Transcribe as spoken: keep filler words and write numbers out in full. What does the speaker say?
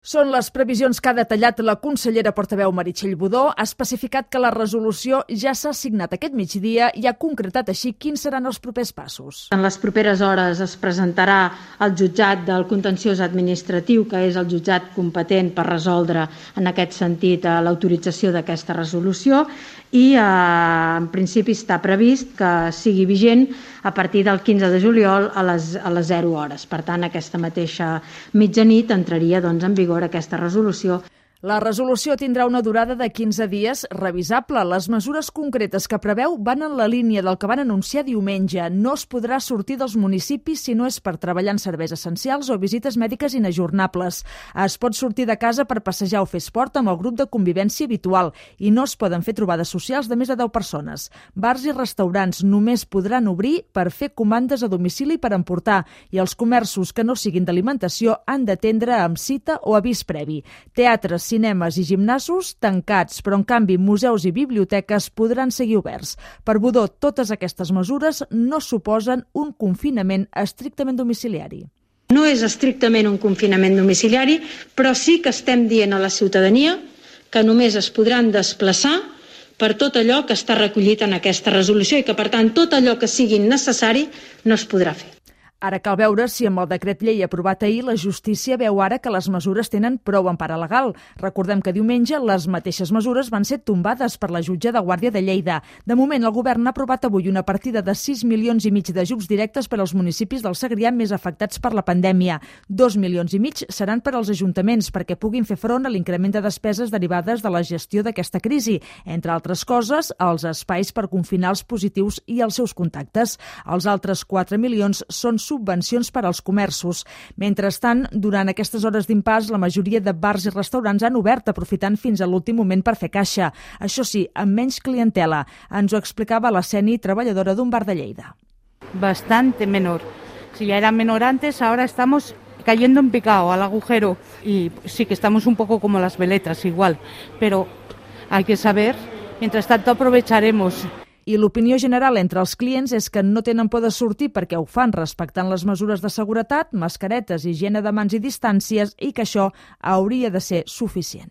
Són les previsions que ha detallat la consellera portaveu Meritxell Budó. Ha especificat que la resolució ja s'ha signat aquest migdia i ha concretat així quins seran els propers passos. En les properes hores es presentarà al jutjat del contenciós administratiu, que és el jutjat competent per resoldre en aquest sentit l'autorització d'aquesta resolució, i eh, en principi està previst que sigui vigent a partir del quinze de juliol a les, a les zero hores. Per tant, aquesta mateixa mitjanit entraria doncs, en vigor aquesta resolució. La resolució tindrà una durada de quinze dies revisable. Les mesures concretes que preveu van en la línia del que van anunciar diumenge. No es podrà sortir dels municipis si no és per treballar en serveis essencials o visites mèdiques inajornables. Es pot sortir de casa per passejar o fer esport amb el grup de convivència habitual i no es poden fer trobades socials de més de deu persones. Bars i restaurants només podran obrir per fer comandes a domicili per emportar i els comerços que no siguin d'alimentació han d'atendre amb cita o avís previ. Teatres, cinemes i gimnasos tancats, però en canvi museus i biblioteques podran seguir oberts. Per Budó, totes aquestes mesures no suposen un confinament estrictament domiciliari. No és estrictament un confinament domiciliari, però sí que estem dient a la ciutadania que només es podran desplaçar per tot allò que està recollit en aquesta resolució i que, per tant, tot allò que sigui necessari no es podrà fer. Ara cal veure si amb el decret llei aprovat ahir la justícia veu ara que les mesures tenen prou empara legal. Recordem que diumenge les mateixes mesures van ser tombades per la jutge de Guàrdia de Lleida. De moment, el govern ha aprovat avui una partida de sis milions i mig d'ajuts directes per als municipis del Segrià més afectats per la pandèmia. Dos milions i mig seran per als ajuntaments perquè puguin fer front a l'increment de despeses derivades de la gestió d'aquesta crisi. Entre altres coses, els espais per confinar els positius i els seus contactes. Els altres quatre milions són subvencions per als comerços. Mentrestant, durant aquestes hores d'impàs, la majoria de bars i restaurants han obert, aprofitant fins a l'últim moment per fer caixa. Això sí, amb menys clientela. Ens ho explicava la Seni, treballadora d'un bar de Lleida. Bastante menor. Si ya era menor antes, ahora estamos cayendo en picado al agujero. Y sí que estamos un poco como las veletas, igual. Pero hay que saber, mientras tanto aprovecharemos. I l'opinió general entre els clients és que no tenen por de sortir perquè ho fan respectant les mesures de seguretat, mascaretes, higiene de mans i distàncies i que això hauria de ser suficient.